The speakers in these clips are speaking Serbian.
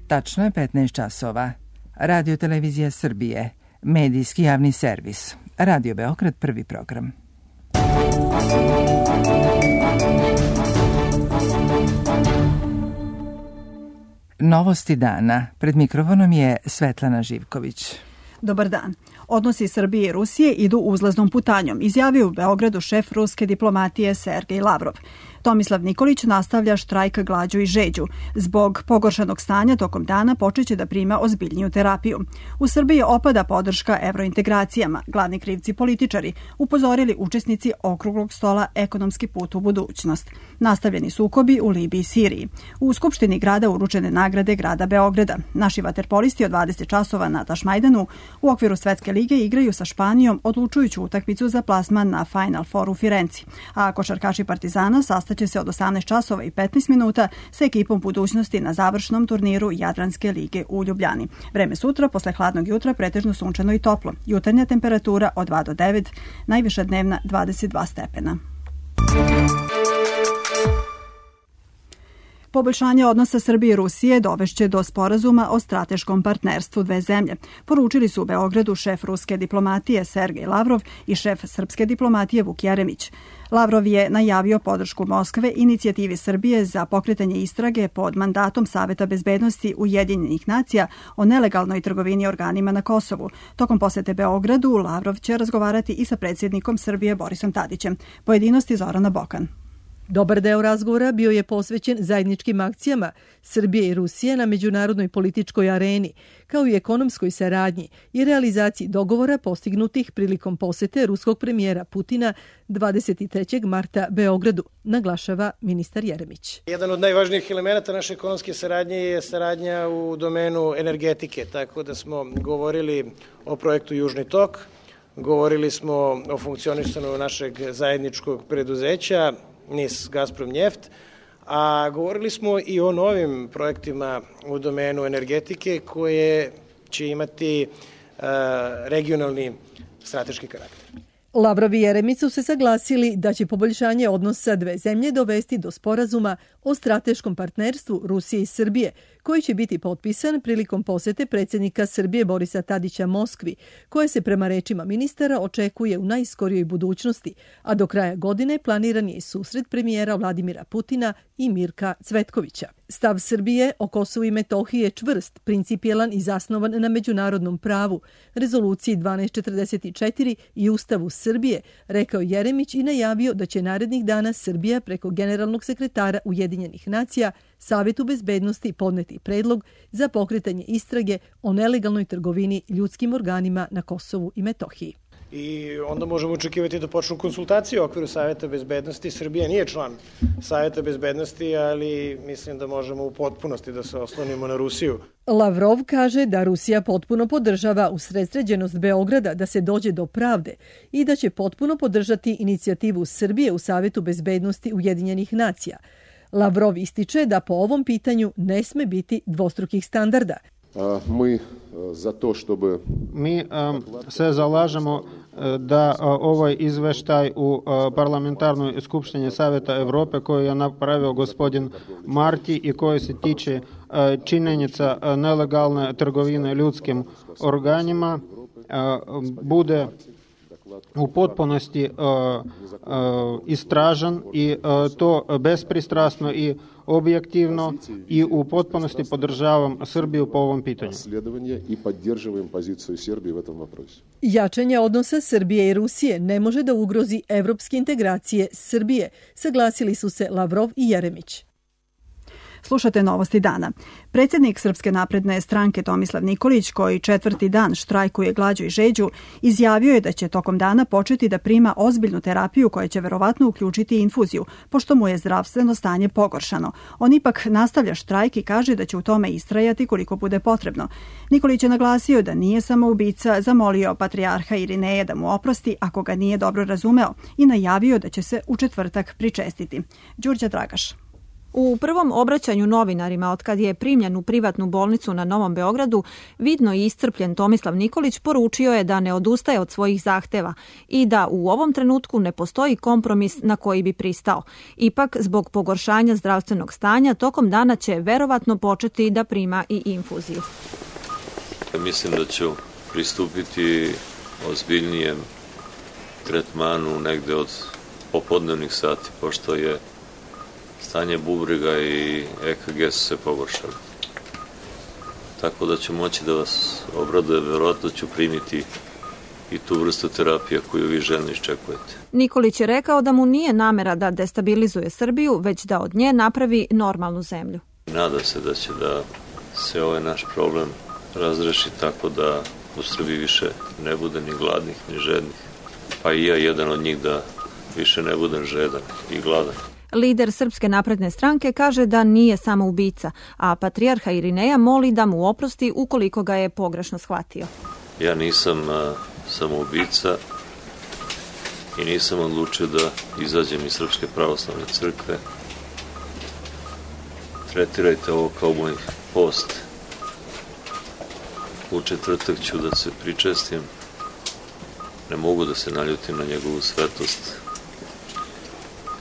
Tačno je 15 časova. Radio Televizija Srbije, medijski javni servis. Radio Beograd, prvi program. Novosti dana. Pred mikrofonom je Svetlana Živković. Dobar dan. Odnosi Srbije i Rusije idu uzlaznom putanjom, izjavio u Beogradu šef ruske diplomatije Sergej Lavrov. Tomislav Nikolić nastavlja štrajk glađu i žeđu. Zbog pogoršanog stanja tokom dana počeće da prima ozbiljniju terapiju. U Srbiji opada podrška evrointegracijama. Glavni krivci političari, upozorili učesnici okruglog stola Ekonomski put u budućnost. Nastavljeni sukobi u Libiji i Siriji. U Skupštini grada uručene nagrade grada Beograda. Naši vaterpolisti od 20 časova na Tašmajdanu u okviru Svetske lige igraju sa Španijom odlučujuću utakmicu za plasman na Final Four u Firenci. A košarkaši Partizana sastaće se od 18 časova i 15 minuta sa ekipom budućnosti na završnom turniru Jadranske lige u Ljubljani. Vreme sutra, posle hladnog jutra, pretežno sunčano i toplo. Jutarnja temperatura od 2 do 9, najviša dnevna 22 stepena. Poboljšanje odnosa Srbije i Rusije dovešće do sporazuma o strateškom partnerstvu dve zemlje. Poručili su u Beogradu šef ruske diplomatije Sergej Lavrov i šef srpske diplomatije Vuk Jeremić. Lavrov je najavio podršku Moskve inicijativi Srbije za pokretanje istrage pod mandatom Saveta bezbednosti Ujedinjenih nacija o nelegalnoj trgovini organima na Kosovu. Tokom posete Beogradu Lavrov će razgovarati i sa predsjednikom Srbije Borisom Tadićem. Pojedinosti Zorana Bokan. Dobar deo razgovora bio je posvećen zajedničkim akcijama Srbije i Rusije na međunarodnoj političkoj areni, kao i ekonomskoj saradnji i realizaciji dogovora postignutih prilikom posete ruskog premijera Putina 23. marta Beogradu, naglašava ministar Jeremić. Jedan od najvažnijih elemenata naše ekonomske saradnje je saradnja u domenu energetike, tako da smo govorili o projektu Južni tok, govorili smo o funkcionisanju našeg zajedničkog preduzeća NIS Gazprom Njeft, a govorili smo i o novim projektima u domenu energetike koje će imati regionalni strateški karakter. Lavrov i Jeremić su se saglasili da će poboljšanje odnosa dve zemlje dovesti do sporazuma o strateškom partnerstvu Rusije i Srbije, koji će biti potpisan prilikom posete predsjednika Srbije Borisa Tadića Moskvi, koje se prema rečima ministara očekuje u najskorijoj budućnosti, a do kraja godine planiran je i susret premijera Vladimira Putina i Mirka Cvetkovića. Stav Srbije o Kosovu i Metohiji je čvrst, principijelan i zasnovan na međunarodnom pravu, rezoluciji 1244 i Ustavu Srbije, rekao Jeremić i najavio da će narednih dana Srbija preko generalnog sekretara Ujedinjenih nacija Savetu bezbednosti podneti predlog za pokretanje istrage o nelegalnoj trgovini ljudskim organima na Kosovu i Metohiji. I onda možemo očekivati da počnu konsultacije u okviru Saveta bezbednosti. Srbija nije član Saveta bezbednosti, ali mislim da možemo u potpunosti da se oslonimo na Rusiju. Lavrov kaže da Rusija potpuno podržava usredsređenost Beograda da se dođe do pravde i da će potpuno podržati inicijativu Srbije u Savetu bezbednosti Ujedinjenih nacija. Lavrov ističe da po ovom pitanju ne sme biti dvostrukih standarda. Mi se zalažemo da ovaj izveštaj u parlamentarnoj skupštini Saveta Evrope koju je napravio gospodin Marti i koji se tiče činjenica nelegalne trgovine ljudskim organima bude u potpunosti istražen i to bespristrasno i objektivno i u potpunosti podržavam Srbiju po ovom pitanju. Jačanje odnosa Srbije i Rusije ne može da ugrozi evropske integracije Srbije, saglasili su se Lavrov i Jeremić. Slušate novosti dana. Predsjednik Srpske napredne stranke Tomislav Nikolić, koji četvrti dan štrajkuje glađu i žeđu, izjavio je da će tokom dana početi da prima ozbiljnu terapiju koja će verovatno uključiti infuziju, pošto mu je zdravstveno stanje pogoršano. On ipak nastavlja štrajk i kaže da će u tome istrajati koliko bude potrebno. Nikolić je naglasio da nije samoubica, zamolio patrijarha Irineja da mu oprosti ako ga nije dobro razumeo i najavio da će se u četvrtak pričestiti. Đurđa Dragaš. U prvom obraćanju novinarima otkad je primljen u privatnu bolnicu na Novom Beogradu, vidno i iscrpljen Tomislav Nikolić poručio je da ne odustaje od svojih zahteva i da u ovom trenutku ne postoji kompromis na koji bi pristao. Ipak, zbog pogoršanja zdravstvenog stanja, tokom dana će verovatno početi da prima i infuziju. Mislim da ću pristupiti ozbiljnijem tretmanu negde od popodnevnih sati, pošto je stanje bubrega i EKG su se pogoršali. Tako da ću moći da vas obraduje, verovatno ću primiti i tu vrstu terapije koju vi željno iščekujete. Nikolić je rekao da mu nije namera da destabilizuje Srbiju, već da od nje napravi normalnu zemlju. Nadam se da će da se ovaj naš problem razreši tako da u Srbiji više ne bude ni gladnih, ni žednih. Pa i ja jedan od njih da više ne budem žedan i gladan. Lider Srpske napredne stranke kaže da nije samoubica, a patrijarha Irineja moli da mu oprosti ukoliko ga je pogrešno shvatio. Ja nisam samoubica i nisam odlučio da izađem iz Srpske pravoslavne crkve. Tretirajte ovo kao moj post. U četvrtak ću da se pričestim. Ne mogu da se naljutim na njegovu svetost.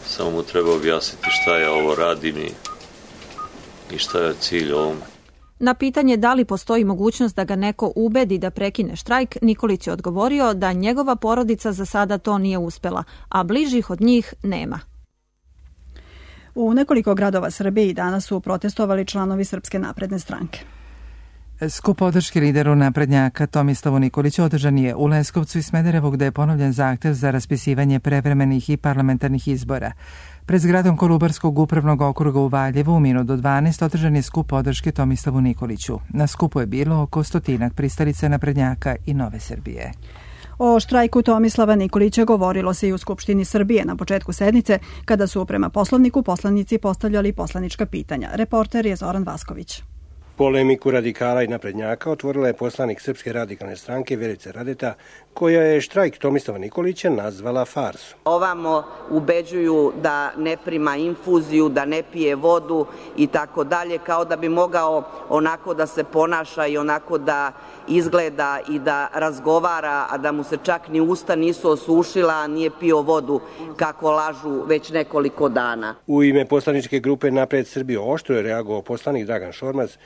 Samo mu treba objasniti šta ja ovo radim i šta je cilj ovome. Na pitanje da li postoji mogućnost da ga neko ubedi da prekine štrajk, Nikolić je odgovorio da njegova porodica za sada to nije uspela, a bližih od njih nema. U nekoliko gradova Srbije danas su protestovali članovi Srpske napredne stranke. Skup podrške lideru naprednjaka Tomislavu Nikoliću održan je u Leskovcu i Smederevu, gde je ponovljen zahtev za raspisivanje prevremenih i parlamentarnih izbora. Pred zgradom Kolubarskog upravnog okruga u Valjevu u minut do 12 održan je skup podrške Tomislavu Nikoliću. Na skupu je bilo oko 100 pristalica naprednjaka i Nove Srbije. O štrajku Tomislava Nikolića govorilo se i u Skupštini Srbije na početku sednice, kada su prema Poslovniku poslanici postavljali poslanička pitanja. Reporter je Zoran Vasković. Polemiku radikala i naprednjaka otvorila je poslanik Srpske radikalne stranke Vjerica Radeta, koja je štrajk Tomislava Nikolića nazvala farsu. Ovamo ubeđuju da ne prima infuziju, da ne pije vodu i tako dalje, kao da bi mogao onako da se ponaša i onako da izgleda i da razgovara, a da mu se čak ni usta nisu osušila, a nije pio vodu kako lažu već nekoliko dana. U ime poslaničke grupe Napred Srbiju oštro je reagovao poslanik Dragan Šormaz,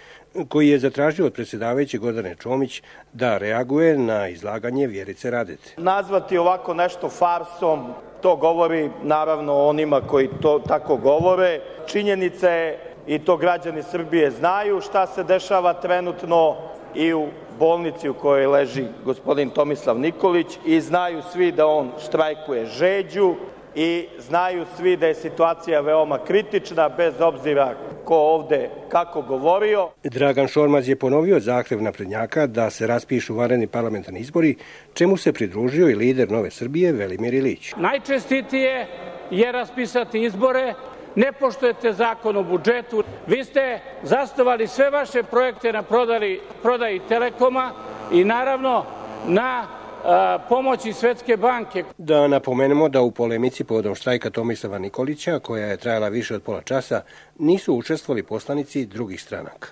koji je zatražio od predsjedavajuće Gordane Čomić da reaguje na izlaganje Vjerice Radete. Nazvati ovako nešto farsom, to govori naravno onima koji to tako govore. Činjenica je, i to građani Srbije znaju, šta se dešava trenutno i u bolnici u kojoj leži gospodin Tomislav Nikolić, i znaju svi da on štrajkuje žeđu i znaju svi da je situacija veoma kritična, bez obzira ko ovde kako govorio. Dragan Šormaz je ponovio zahtev naprednjaka da se raspišu vanredni parlamentarni izbori, čemu se pridružio i lider Nove Srbije Velimir Ilić. Najčestitije je raspisati izbore, ne poštujete zakon o budžetu, vi ste zasnovali sve vaše projekte na prodaji Telekoma i naravno na pomoći Svetske banke. Da napomenemo da u polemici povodom štrajka Tomislava Nikolića, koja je trajala više od pola časa, nisu učestvovali poslanici drugih stranaka.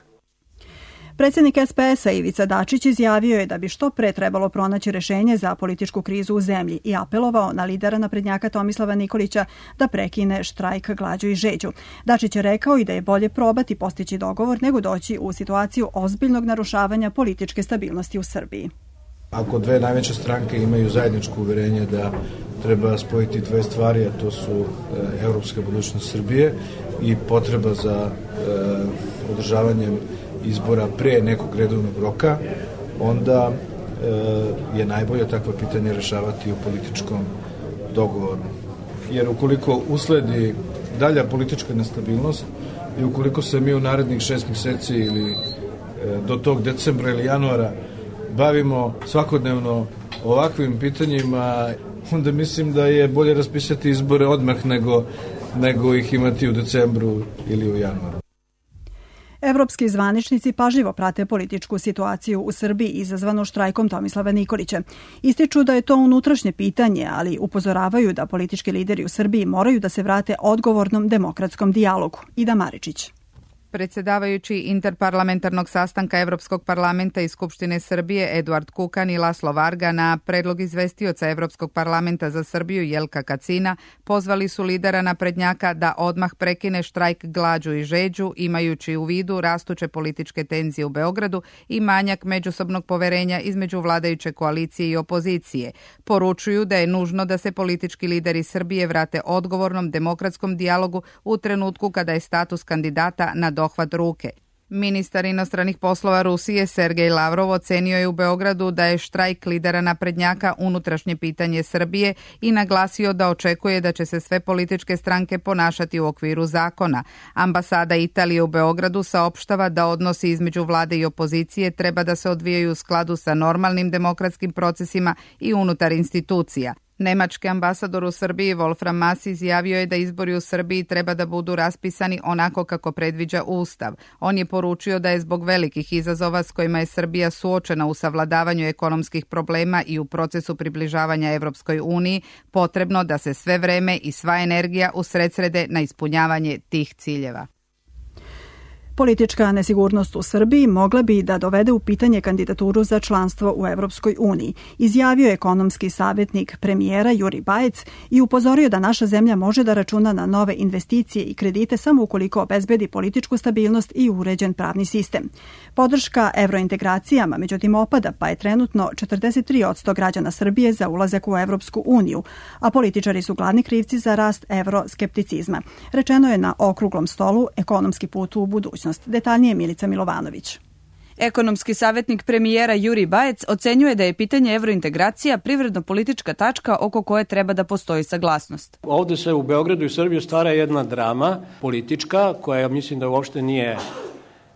Predsjednik SPS-a Ivica Dačić izjavio je da bi što pre trebalo pronaći rešenje za političku krizu u zemlji i apelovao na lidera naprednjaka Tomislava Nikolića da prekine štrajk glađu i žeđu. Dačić je rekao i da je bolje probati postići dogovor nego doći u situaciju ozbiljnog narušavanja političke stabilnosti u Srbiji. Ako dve najveće stranke imaju zajedničko uverenje da treba spojiti dve stvari, a to su evropska budućnost Srbije i potreba za održavanjem izbora pre nekog redovnog roka, onda je najbolje takva pitanja rešavati u političkom dogovoru. Jer ukoliko usledi dalja politička nestabilnost i ukoliko se mi u narednih 6 mjeseci ili do tog decembra ili januara bavimo svakodnevno ovakvim pitanjima, onda mislim da je bolje raspisati izbore odmah nego ih imati u decembru ili u januaru. Evropski zvaničnici pažljivo prate političku situaciju u Srbiji izazvanu štrajkom Tomislava Nikolića. Ističu da je to unutrašnje pitanje, ali upozoravaju da politički lideri u Srbiji moraju da se vrate odgovornom demokratskom dijalogu. Ida Maričić. Predsjedavajući interparlamentarnog sastanka Evropskog parlamenta i Skupštine Srbije Eduard Kukan i Laslo Varga na predlog izvestioca Evropskog parlamenta za Srbiju Jelka Kacina pozvali su lidera naprednjaka da odmah prekine štrajk glađu i žeđu, imajući u vidu rastuće političke tenzije u Beogradu i manjak međusobnog poverenja između vladajuće koalicije i opozicije. Poručuju da je nužno da se politički lideri Srbije vrate odgovornom demokratskom dijalogu u trenutku kada je status kandidata na dohvat ruke. Ministar inostranih poslova Rusije Sergej Lavrov ocenio je u Beogradu da je štrajk lidera naprednjaka unutrašnje pitanje Srbije i naglasio da očekuje da će se sve političke stranke ponašati u okviru zakona. Ambasada Italije u Beogradu saopštava da odnosi između vlade i opozicije treba da se odvijaju u skladu sa normalnim demokratskim procesima i unutar institucija. Nemački ambasador u Srbiji Wolfram Maas izjavio je da izbori u Srbiji treba da budu raspisani onako kako predviđa Ustav. On je poručio da je zbog velikih izazova s kojima je Srbija suočena u savladavanju ekonomskih problema i u procesu približavanja Evropskoj uniji potrebno da se sve vreme i sva energija usredsrede na ispunjavanje tih ciljeva. Politička nesigurnost u Srbiji mogla bi da dovede u pitanje kandidaturu za članstvo u Evropskoj uniji, izjavio je ekonomski savjetnik premijera Juri Bajec i upozorio da naša zemlja može da računa na nove investicije i kredite samo ukoliko obezbedi političku stabilnost i uređen pravni sistem. Podrška evrointegracijama međutim opada, pa je trenutno 43% građana Srbije za ulazak u Evropsku uniju, a političari su glavni krivci za rast evroskepticizma. Rečeno je na okruglom stolu Ekonomski put u budućnost. Detaljnije Milica Milovanović. Ekonomski savjetnik premijera Juri Bajec ocenjuje da je pitanje evrointegracija privredno-politička tačka oko koje treba da postoji saglasnost. Ovde se u Beogradu i Srbiji stvara jedna drama politička koja mislim da uopšte nije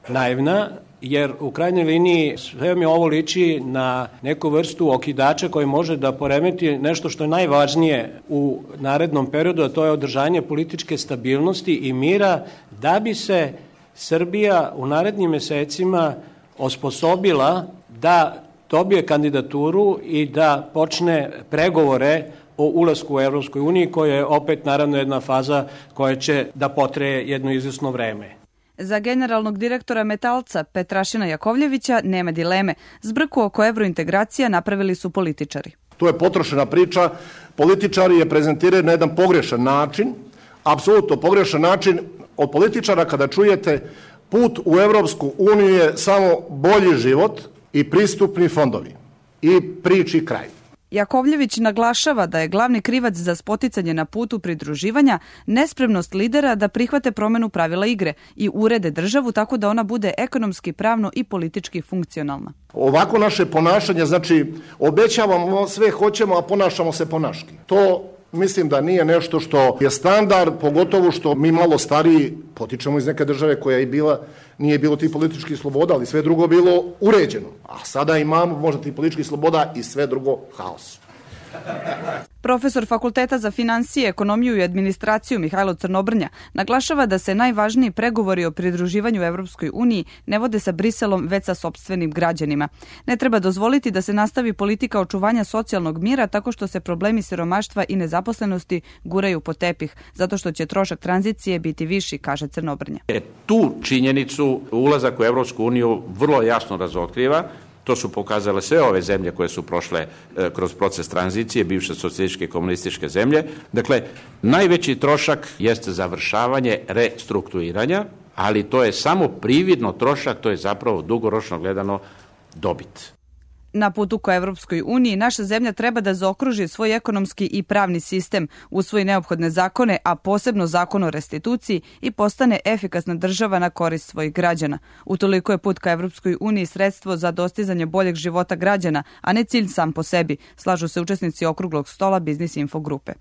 naivna, jer u krajnjoj liniji sve mi ovo liči na neku vrstu okidača koji može da poremeti nešto što je najvažnije u narednom periodu, a to je održanje političke stabilnosti i mira da bi se Srbija u narednim mesecima osposobila da dobije kandidaturu i da počne pregovore o ulasku u Evropskoj uniji, koja je opet naravno jedna faza koja će da potreje jedno izvesno vreme. Za generalnog direktora Metalca Petrašina Jakovljevića nema dileme. Zbrku oko evrointegracija napravili su političari. To je potrošena priča. Političari je prezentiraju na jedan pogrešan način, apsolutno pogrešan način. Od političara kada čujete put u Evropsku uniju je samo bolji život i pristupni fondovi i priči kraj. Jakovljević naglašava da je glavni krivac za spoticanje na putu pridruživanja nespremnost lidera da prihvate promenu pravila igre i urede državu tako da ona bude ekonomski, pravno i politički funkcionalna. Ovako naše ponašanje, znači obećavamo sve hoćemo, a ponašamo se ponaški. To mislim da nije nešto što je standard, pogotovo što mi malo stariji potičemo iz neke države koja je bila, nije bilo tih političkih sloboda, ali sve drugo bilo uređeno. A sada imamo možda tih političkih sloboda i sve drugo haos. Profesor Fakulteta za finansije, ekonomiju i administraciju Mihajlo Crnobrnja naglašava da se najvažniji pregovori o pridruživanju Evropskoj uniji ne vode sa Briselom, već sa sopstvenim građanima. Ne treba dozvoliti da se nastavi politika očuvanja socijalnog mira tako što se problemi siromaštva i nezaposlenosti guraju po tepih, zato što će trošak tranzicije biti viši, kaže Crnobrnja. Tu činjenicu ulazak u Evropsku uniju vrlo jasno razotkriva. To su pokazale sve ove zemlje koje su prošle kroz proces tranzicije, bivše socijalističke i komunističke zemlje. Dakle, najveći trošak jeste završavanje restrukturiranja, ali to je samo prividno trošak, to je zapravo dugoročno gledano dobit. Na putu ka Evropskoj uniji naša zemlja treba da zaokruži svoj ekonomski i pravni sistem, usvoji neophodne zakone, a posebno zakon o restituciji i postane efikasna država na korist svojih građana. Utoliko je put ka Evropskoj uniji sredstvo za dostizanje boljeg života građana, a ne cilj sam po sebi, slažu se učesnici okruglog stola Biznis Info grupe.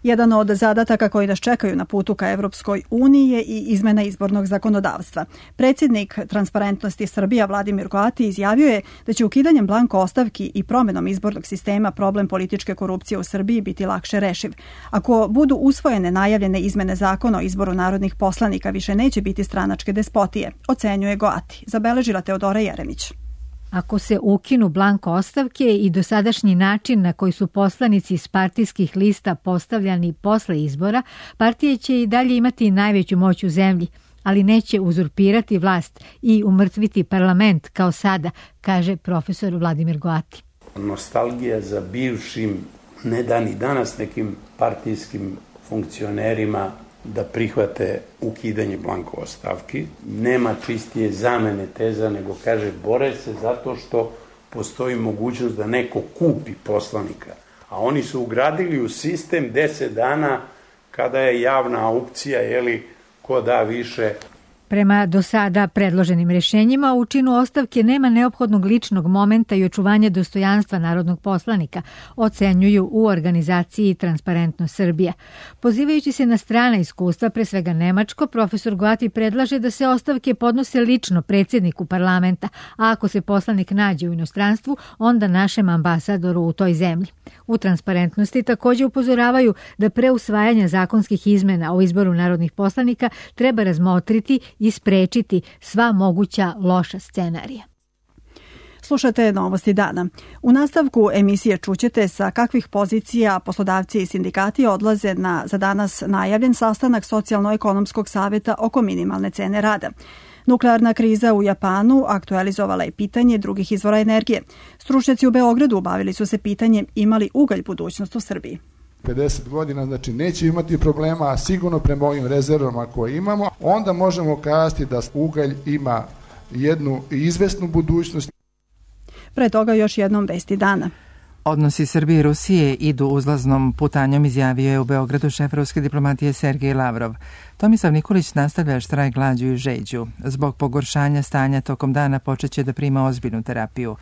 Jedan od zadataka koji nas čekaju na putu ka Evropskoj uniji je i izmena izbornog zakonodavstva. Predsjednik Transparentnosti Srbija Vladimir Goati izjavio je da će ukidanjem blanko ostavki i promjenom izbornog sistema problem političke korupcije u Srbiji biti lakše rešiv. Ako budu usvojene najavljene izmene zakona o izboru narodnih poslanika, više neće biti stranačke despotije, ocenjuje Goati. Zabeležila Teodora Jeremić. Ako se ukinu blanko ostavke i dosadašnji način na koji su poslanici iz partijskih lista postavljani posle izbora, partije će i dalje imati najveću moć u zemlji, ali neće uzurpirati vlast i umrtviti parlament kao sada, kaže profesor Vladimir Goati. Nostalgija za bivšim, ne da ni danas nekim partijskim funkcionerima da prihvate ukidanje blanko ostavki. Nema čistije zamene teza, nego kaže bore se zato što postoji mogućnost da neko kupi poslanika. A oni su ugradili u sistem 10 dana kada je javna aukcija, ko da više. Prema do sada predloženim rješenjima u činu ostavke nema neophodnog ličnog momenta i očuvanja dostojanstva narodnog poslanika, ocenjuju u organizaciji Transparentnost Srbija. Pozivajući se na strana iskustva, pre svega nemačko, profesor Goati predlaže da se ostavke podnose lično predsjedniku parlamenta, a ako se poslanik nađe u inostranstvu, onda našem ambasadoru u toj zemlji. U Transparentnosti također upozoravaju da pre usvajanja zakonskih izmena o izboru narodnih poslanika treba razmotriti i sprečiti sva moguća loša scenarija. Slušate Novosti dana. U nastavku emisije čućete sa kakvih pozicija poslodavci i sindikati odlaze na za danas najavljen sastanak Socijalno-ekonomskog savjeta oko minimalne cene rada. Nuklearna kriza u Japanu aktualizovala je pitanje drugih izvora energije. Stručnjaci u Beogradu bavili su se pitanjem ima li ugalj budućnost u Srbiji. 50 godina, znači neće imati problema, a sigurno prema ovim rezervama koje imamo, onda možemo kazati da ugalj ima jednu izvesnu budućnost. Pre toga još jednom vesti dana. Odnosi Srbije i Rusije idu uzlaznom putanjom, izjavio je u Beogradu šef ruske diplomatije Sergej Lavrov. Tomislav Nikolić nastavlja štrajk glađu i žeđu. Zbog pogoršanja stanja tokom dana počeće da prima ozbiljnu terapiju.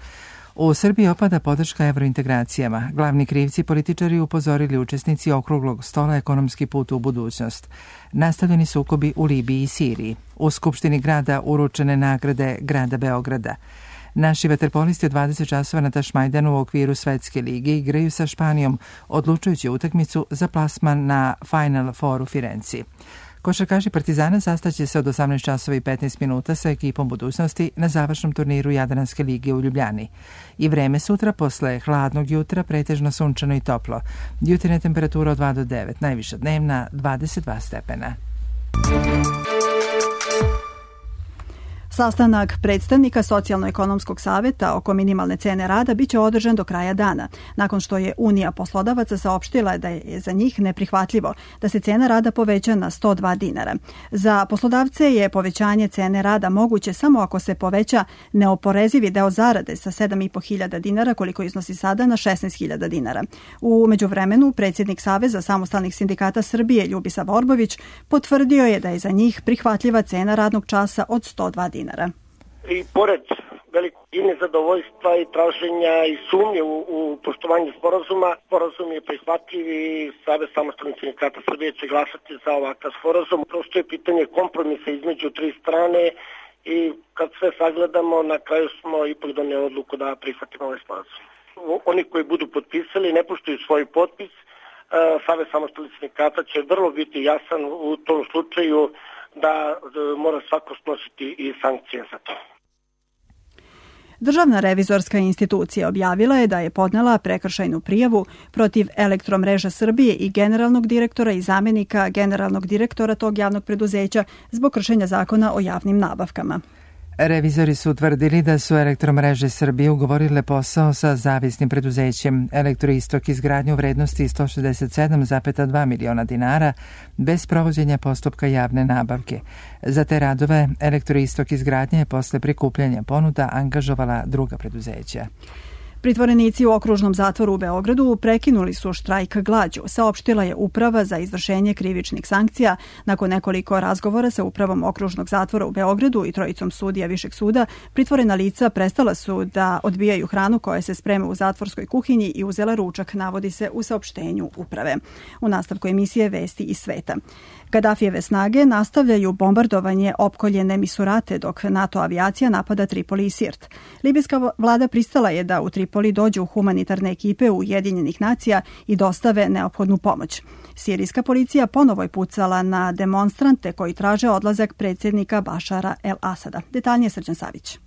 U Srbiji opada podrška evrointegracijama. Glavni krivci političari upozorili učesnici okruglog stola ekonomski put u budućnost. Nastavljeni sukobi u Libiji i Siriji. U Skupštini grada uručene nagrade grada Beograda. Naši vaterpolisti od 20 časova na Tašmajdanu u okviru Svetske lige igraju sa Španijom, odlučujući utakmicu za plasman na Final Four u Firenci. Košarkaši Partizana sastaće se od 18 časova i 15 minuta sa ekipom budućnosti na završnom turniru Jadranske lige u Ljubljani. I vreme sutra posle hladnog jutra pretežno sunčano i toplo. Jutarnja temperatura od 2 do 9, najviša dnevna 22 stepena. Sastanak predstavnika Socijalno-ekonomskog savjeta oko minimalne cene rada biće održan do kraja dana, nakon što je Unija poslodavaca saopštila da je za njih neprihvatljivo da se cena rada poveća na 102 dinara. Za poslodavce je povećanje cene rada moguće samo ako se poveća neoporezivi deo zarade sa 7.500 dinara, koliko iznosi sada, na 16.000 dinara. U međuvremenu, predsjednik Saveza samostalnih sindikata Srbije Ljubisa Vorbović potvrdio je da je za njih prihvatljiva cena radnog časa od 102 dinara. I pored velikog i nezadovoljstva i traženja i sumnje u poštovanju sporazuma, sporazum je prihvatljiv i Savez samostalnih sindikata Srbije će glasati za ovakav sporazum. Prosto je pitanje kompromisa između tri strane i kad sve sagledamo, na kraju smo ipak donijeli odluku da prihvatimo ovaj sporazum. Oni koji budu potpisali ne poštuju svoj potpis, Savez samostalnih sindikata će vrlo biti jasan u tom slučaju da mora svako snositi i sankcije za to. Državna revizorska institucija objavila je da je podnela prekršajnu prijavu protiv Elektromreža Srbije i generalnog direktora i zamjenika generalnog direktora tog javnog preduzeća zbog kršenja zakona o javnim nabavkama. Revizori su utvrdili da su Elektromreže Srbije ugovorile posao sa zavisnim preduzećem Elektroistok izgradnju vrednosti 167,2 miliona dinara bez provođenja postupka javne nabavke. Za te radove Elektroistok izgradnja je posle prikupljanja ponuda angažovala druga preduzeća. Pritvorenici u okružnom zatvoru u Beogradu prekinuli su štrajk glađu, saopštila je Uprava za izvršenje krivičnih sankcija. Nakon nekoliko razgovora sa Upravom okružnog zatvora u Beogradu i trojicom sudija Višeg suda, pritvorena lica prestala su da odbijaju hranu koja se sprema u zatvorskoj kuhinji i uzela ručak, navodi se u saopštenju Uprave. U nastavku emisije Vesti iz sveta. Gadafijeve snage nastavljaju bombardovanje opkoljene Misurate dok NATO avijacija napada Tripoli i Sirt. Libijska vlada pristala je da u Tripoli dođu humanitarne ekipe Ujedinjenih nacija i dostave neophodnu pomoć. Sirijska policija ponovo je pucala na demonstrante koji traže odlazak predsjednika Bašara el-Asada. Detaljnije Srđan Savić.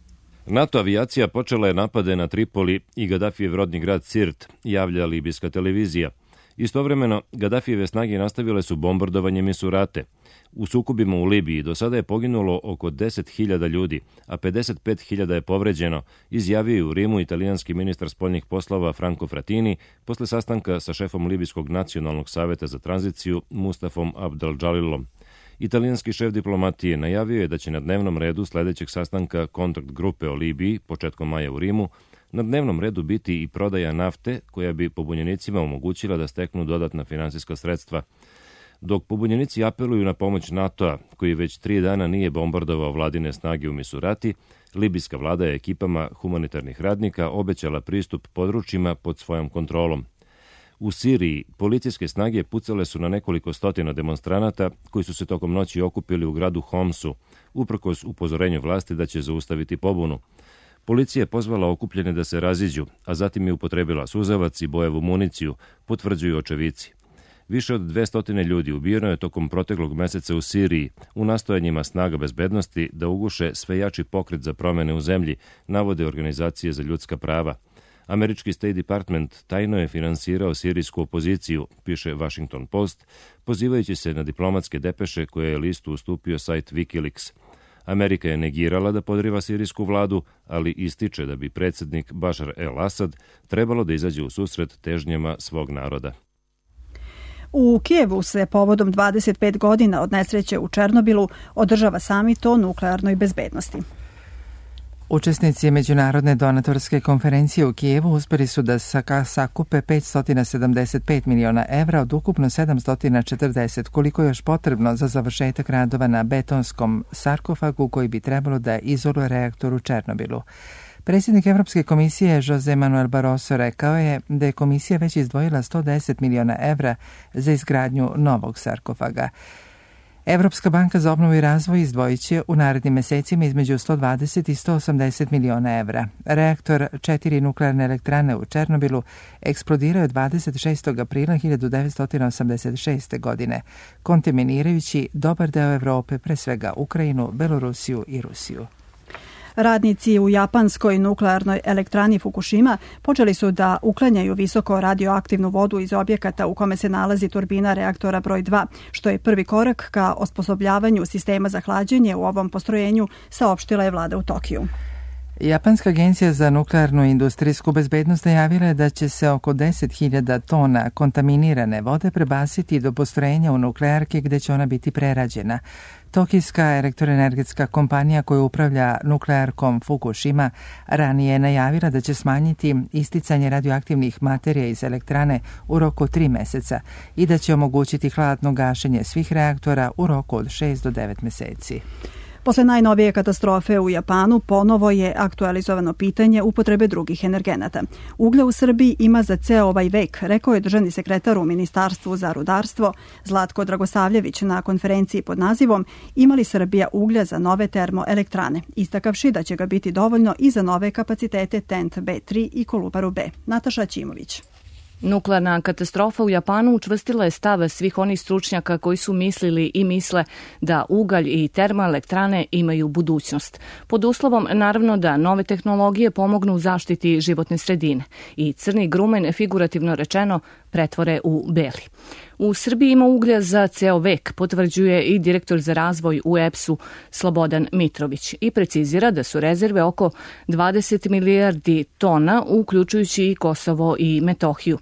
NATO avijacija počela je napade na Tripoli i Gadafijev rodni grad Sirt, javlja libijska televizija. Istovremeno, Gadafijeve snage nastavile su bombardovanje Misurate. U sukobima u Libiji do sada je poginulo oko 10.000 ljudi, a 55.000 je povređeno, izjavio je u Rimu italijanski ministar spoljnih poslova Franco Frattini posle sastanka sa šefom Libijskog nacionalnog saveta za tranziciju Mustafom Abdel-Džalilom. Italijanski šef diplomatije najavio je da će na dnevnom redu sledećeg sastanka kontakt grupe o Libiji, početkom maja u Rimu, na dnevnom redu biti i prodaja nafte koja bi pobunjenicima omogućila da steknu dodatna finansijska sredstva. Dok pobunjenici apeluju na pomoć NATO-a, koji već 3 dana nije bombardovao vladine snage u Misurati, libijska vlada je ekipama humanitarnih radnika obećala pristup područjima pod svojom kontrolom. U Siriji policijske snage pucale su na nekoliko stotina demonstranata koji su se tokom noći okupili u gradu Homsu, uprkos upozorenju vlasti da će zaustaviti pobunu. Policija je pozvala okupljene da se raziđu, a zatim je upotrebila suzavac i bojevu municiju, potvrđuju očevici. Više od 200 ljudi ubijeno je tokom proteklog meseca u Siriji u nastojanjima snaga bezbednosti da uguše sve jači pokret za promene u zemlji, navode organizacije za ljudska prava. Američki State Department tajno je finansirao sirijsku opoziciju, piše Washington Post, pozivajući se na diplomatske depeše koje je listu ustupio sajt Wikileaks. Amerika je negirala da podriva sirijsku vladu, ali ističe da bi predsjednik Bašar el-Asad trebalo da izađe u susret težnjama svog naroda. U Kijevu se povodom 25 godina od nesreće u Černobilu održava samit o nuklearnoj bezbednosti. Učesnici Međunarodne donatorske konferencije u Kijevu uspeli su da sakupe 575 miliona evra od ukupno 740, koliko je još potrebno za završetak radova na betonskom sarkofagu koji bi trebalo da izoluje reaktor u Černobilu. Predsjednik Evropske komisije Jose Manuel Barroso rekao je da je komisija već izdvojila 110 miliona evra za izgradnju novog sarkofaga. Evropska banka za obnovu i razvoj izdvojit će u narednim mesecima između 120 i 180 miliona evra. Reaktor 4 nuklearne elektrane u Černobilu eksplodirao je 26. aprila 1986. godine, kontaminirajući dobar deo Evrope, pre svega Ukrajinu, Belorusiju i Rusiju. Radnici u japanskoj nuklearnoj elektrani Fukushima počeli su da uklanjaju visoko radioaktivnu vodu iz objekata u kome se nalazi turbina reaktora broj 2, što je prvi korak ka osposobljavanju sistema za hlađenje u ovom postrojenju, saopštila je vlada u Tokiju. Japanska agencija za nuklearnu i industrijsku bezbednost najavila je da će se oko 10.000 tona kontaminirane vode prebaciti do postrojenja u nuklearke gde će ona biti prerađena. Tokijska elektroenergetska kompanija koja upravlja nuklearkom Fukushima ranije je najavila da će smanjiti isticanje radioaktivnih materija iz elektrane u roku 3 meseca i da će omogućiti hladno gašenje svih reaktora u roku od 6 do 9 meseci. Posle najnovije katastrofe u Japanu ponovo je aktualizovano pitanje upotrebe drugih energenata. Uglja u Srbiji ima za ceo ovaj vek, rekao je državni sekretar u Ministarstvu za rudarstvo Zlatko Dragosavljević na konferenciji pod nazivom "Ima li Srbija uglja za nove termoelektrane?", istakavši da će ga biti dovoljno i za nove kapacitete TENT B3 i Kolubaru B. Nataša Ćimović. Nuklearna katastrofa u Japanu učvrstila je stav svih onih stručnjaka koji su mislili i misle da ugalj i termoelektrane imaju budućnost. Pod uslovom, naravno, da nove tehnologije pomognu u zaštiti životne sredine i crni grumen, figurativno rečeno, pretvore u beli. U Srbiji ima uglja za ceo vek, potvrđuje i direktor za razvoj u EPS-u Slobodan Mitrović i precizira da su rezerve oko 20 milijardi tona, uključujući i Kosovo i Metohiju.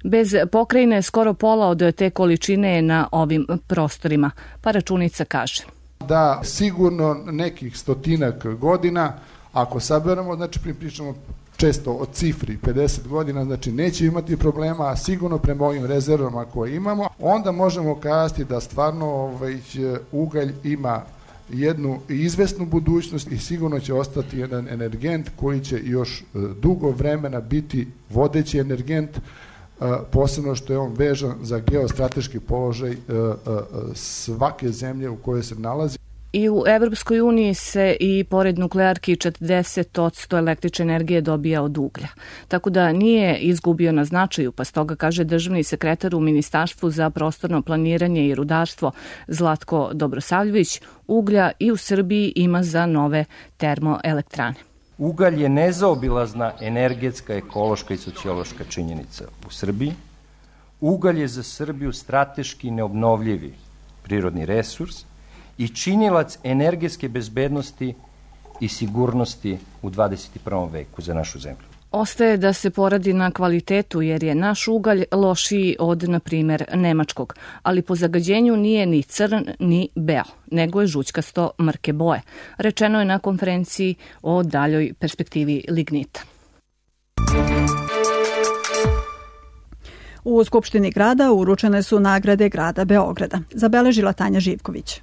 Bez pokrajine skoro pola od te količine je na ovim prostorima, pa računica kaže. Da sigurno nekih stotinak godina, ako saberemo, znači pričamo često o cifri 50 godina, znači neće imati problema, a sigurno prema ovim rezervama koje imamo, onda možemo kazati da stvarno ugalj ima jednu izvesnu budućnost i sigurno će ostati jedan energent koji će još dugo vremena biti vodeći energent, posebno što je on vežan za geostrateški položaj svake zemlje u kojoj se nalazi. I u Evropskoj uniji se i pored nuklearki 40% električne energije dobija od uglja. Tako da nije izgubio na značaju, pa stoga kaže državni sekretar u Ministarstvu za prostorno planiranje i rudarstvo Zlatko Dobrosavljević, uglja i u Srbiji ima za nove termoelektrane. Ugalj je nezaobilazna energetska, ekološka i sociološka činjenica u Srbiji. Ugalj je za Srbiju strateški neobnovljivi prirodni resurs i činilac energetske bezbednosti i sigurnosti u 21. veku za našu zemlju. Ostaje da se poradi na kvalitetu jer je naš ugalj lošiji od, na primjer, nemačkog, ali po zagađenju nije ni crn ni beo, nego je žućkasto mrke boje. Rečeno je na konferenciji o daljoj perspektivi lignita. U Skupštini grada uručene su nagrade grada Beograda, zabeležila Tanja Živković.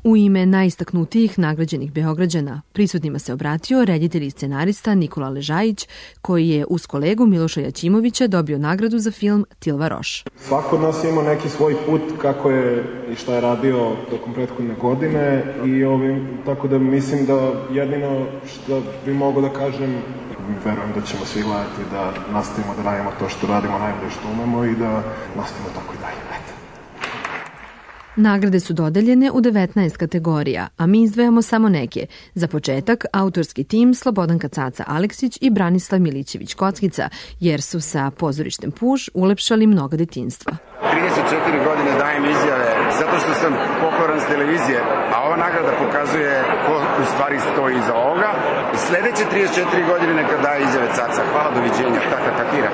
U ime najistaknutijih nagrađenih Beograđana prisutnima se obratio reditelj i scenarista Nikola Ležajić, koji je uz kolegu Miloša Jaćimovića dobio nagradu za film Tilva Roš. Svako od nas ima neki svoj put kako je i šta je radio tokom prethodne godine i tako da mislim da jedino što bi mogo da kažem, verujem da ćemo svi gledati da nastavimo da radimo to što radimo najbolje što umemo i da nastavimo tako i dalje. Nagrade su dodeljene u 19 kategorija, a mi izdvajamo samo neke. Za početak, autorski tim Slobodanka Caca Aleksić i Branislav Milićević Kockica, jer su sa pozorištem Puž ulepšali mnoga detinjstva. 34 godine dajem izjave zato što sam pokoran s televizije, a ova nagrada pokazuje ko u stvari stoji iza ovoga. Sledeće 34 godine neka daje izjave Caca. Hvala, doviđenja, taka katira.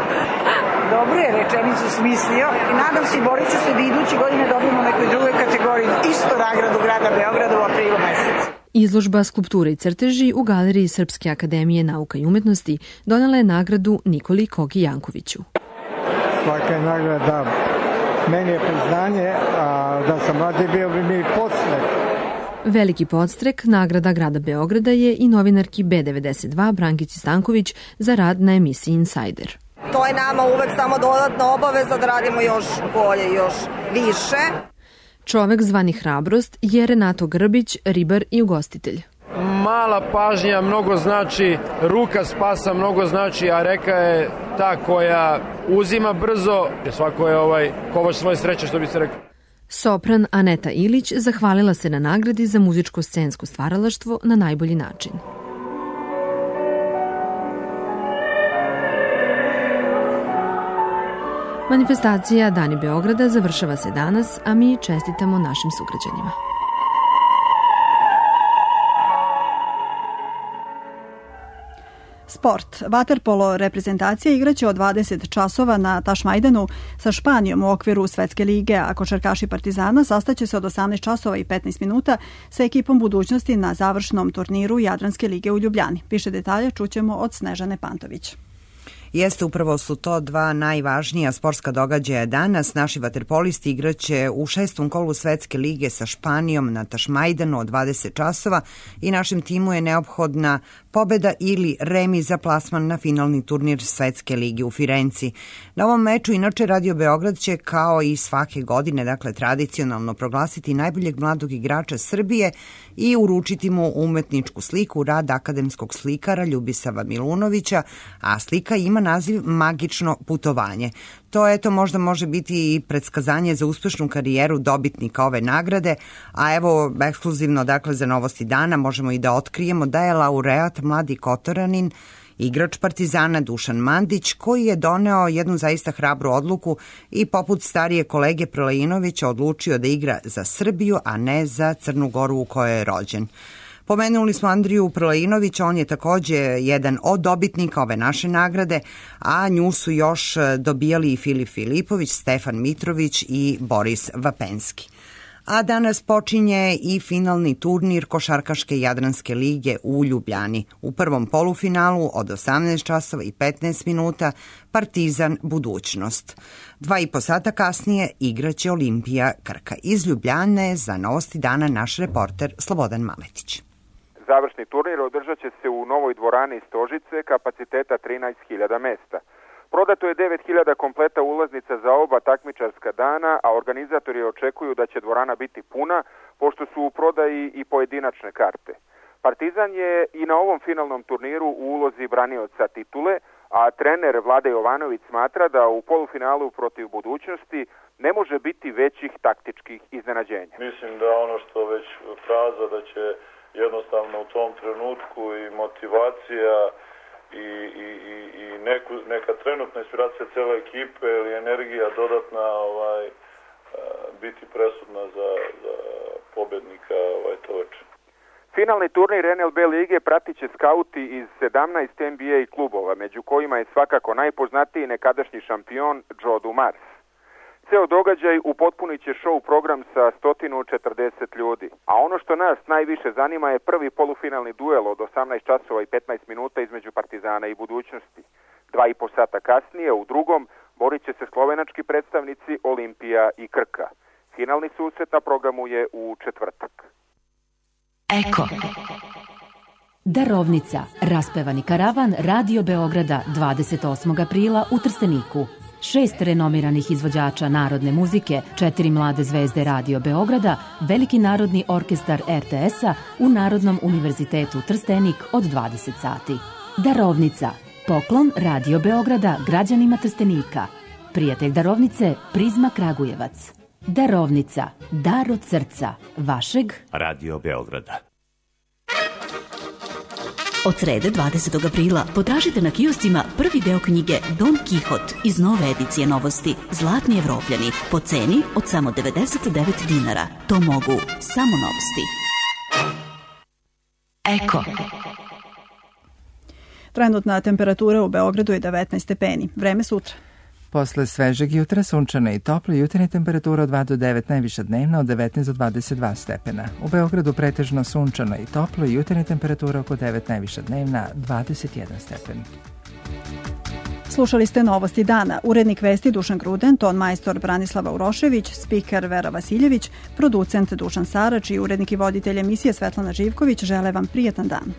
Dobro je rečenicu smislio i nadam se i borit ću se da iduće godine dobijemo u nekoj drugoj kategoriji isto nagradu grada Beograda u aprilu mesecu. Izložba Skulpture i crteži u Galeriji Srpske akademije nauka i umetnosti donela je nagradu Nikoli Kogi Jankoviću. Svaka je nagrada meni je priznanje, a da sam mladi bio bi mi podstrek. Veliki podstrek nagrada grada Beograda je i novinarki B92 Brankici Stanković za rad na emisiji Insider. To je nama uvek samo dodatna obaveza da radimo još bolje, još više. Čovek zvani Hrabrost je Renato Grbić, ribar i ugostitelj. Mala pažnja mnogo znači, ruka spasa mnogo znači, a reka je ta koja uzima brzo. Svako je kovač svoje sreće, što bi se rekao. Sopran Aneta Ilić zahvalila se na nagradi za muzičko-scensko stvaralaštvo na najbolji način. Manifestacija Dani Beograda završava se danas, a mi čestitamo našim sugrađanima. Sport. Vaterpolo reprezentacija igraće od 20 časova na Tašmajdanu sa Španijom u okviru Svetske lige, a košarkaši Partizana sastaće se od 18 časova i 15 minuta sa ekipom budućnosti na završnom turniru Jadranske lige u Ljubljani. Više detalja čućemo od Snežane Pantović. Jeste, upravo su to dva najvažnija sportska događaja danas. Naši vaterpolisti igraće u 6. kolu Svetske lige sa Španijom na Tašmajdanu od 20 časova i našem timu je neophodna pobeda ili remi za plasman na finalni turnir Svetske lige u Firenci. Na ovom meču inače Radio Beograd će kao i svake godine, dakle tradicionalno proglasiti najboljeg mladog igrača Srbije i uručiti mu umetničku sliku, rad akademskog slikara Ljubisava Milunovića, a slika ima naziv Magično putovanje. To možda može biti i predskazanje za uspešnu karijeru dobitnika ove nagrade, a evo ekskluzivno dakle za novosti dana možemo i da otkrijemo da je laureat mladi Kotoranin, igrač Partizana Dušan Mandić, koji je doneo jednu zaista hrabru odluku i poput starije kolege Prelejinovića odlučio da igra za Srbiju, a ne za Crnu Goru u kojoj je rođen. Pomenuli smo Andriju Prelejinovića, on je takođe jedan od dobitnika ove naše nagrade, a nju su još dobijali i Filip Filipović, Stefan Mitrović i Boris Vapenski. A danas počinje i finalni turnir Košarkaške Jadranske lige u Ljubljani. U prvom polufinalu od 18 časova i 15 minuta Partizan Budućnost. 2,5 sata kasnije igraće Olimpija Krka. Iz Ljubljane za Novosti dana naš reporter Slobodan Maletić. Završni turnir održat će se u novoj dvorani Stožice kapaciteta 13.000 mesta. Prodato je 9.000 kompleta ulaznica za oba takmičarska dana, a organizatori očekuju da će dvorana biti puna, pošto su u prodaji i pojedinačne karte. Partizan je i na ovom finalnom turniru u ulozi branioca titule, a trener Vlade Jovanović smatra da u polufinalu protiv Budućnosti ne može biti većih taktičkih iznenađenja. Mislim da ono što već fraza da će jednostavno u tom trenutku i motivacija i neka trenutna inspiracija cele ekipe ili energija dodatna biti presudna za pobednika to veče. Finalni turnir NLB lige pratit će skauti iz 17 NBA klubova, među kojima je svakako najpoznatiji nekadašnji šampion Joe Dumars. Ceo događaj upotpunit će show program sa 140 ljudi. A ono što nas najviše zanima je prvi polufinalni duel od 18 časova i 15 minuta između Partizana i Budućnosti. 2,5 sata kasnije u drugom borit će se slovenački predstavnici Olimpija i Krka. Finalni susret na programu je u četvrtak. Eko. Darovnica. Raspevani karavan Radio Beograda 28. aprila u Trsteniku. 6 renomiranih izvođača narodne muzike, 4 mlade zvezde Radio Beograda, Veliki narodni orkestar RTS-a u Narodnom univerzitetu Trstenik od 20 sati. Darovnica. Poklon Radio Beograda građanima Trstenika. Prijatelj darovnice Prizma Kragujevac. Darovnica. Dar od srca. Vašeg Radio Beograda. Od srede 20. aprila potražite na kioscima prvi deo knjige Don Kihot iz nove edicije Novosti Zlatni Evropljani po ceni od samo 99 dinara. To mogu samo Novosti. Eko. Trenutna temperatura u Beogradu je 19 stepeni. Vreme sutra. Posle svežeg jutra sunčana i topla, jutarnja temperatura od 2 do 9, najviša dnevna od 19 do 22 stepena. U Beogradu pretežno sunčano i toplo, jutarnja temperatura oko 9, najviša dnevna 21 stepen. Slušali ste Novosti dana. Urednik vesti Dušan Gruden, ton majstor Branislava Urošević, spiker Vera Vasiljević, producent Dušan Sarač i urednik i voditelj emisije Svetlana Živković žele vam prijetan dan.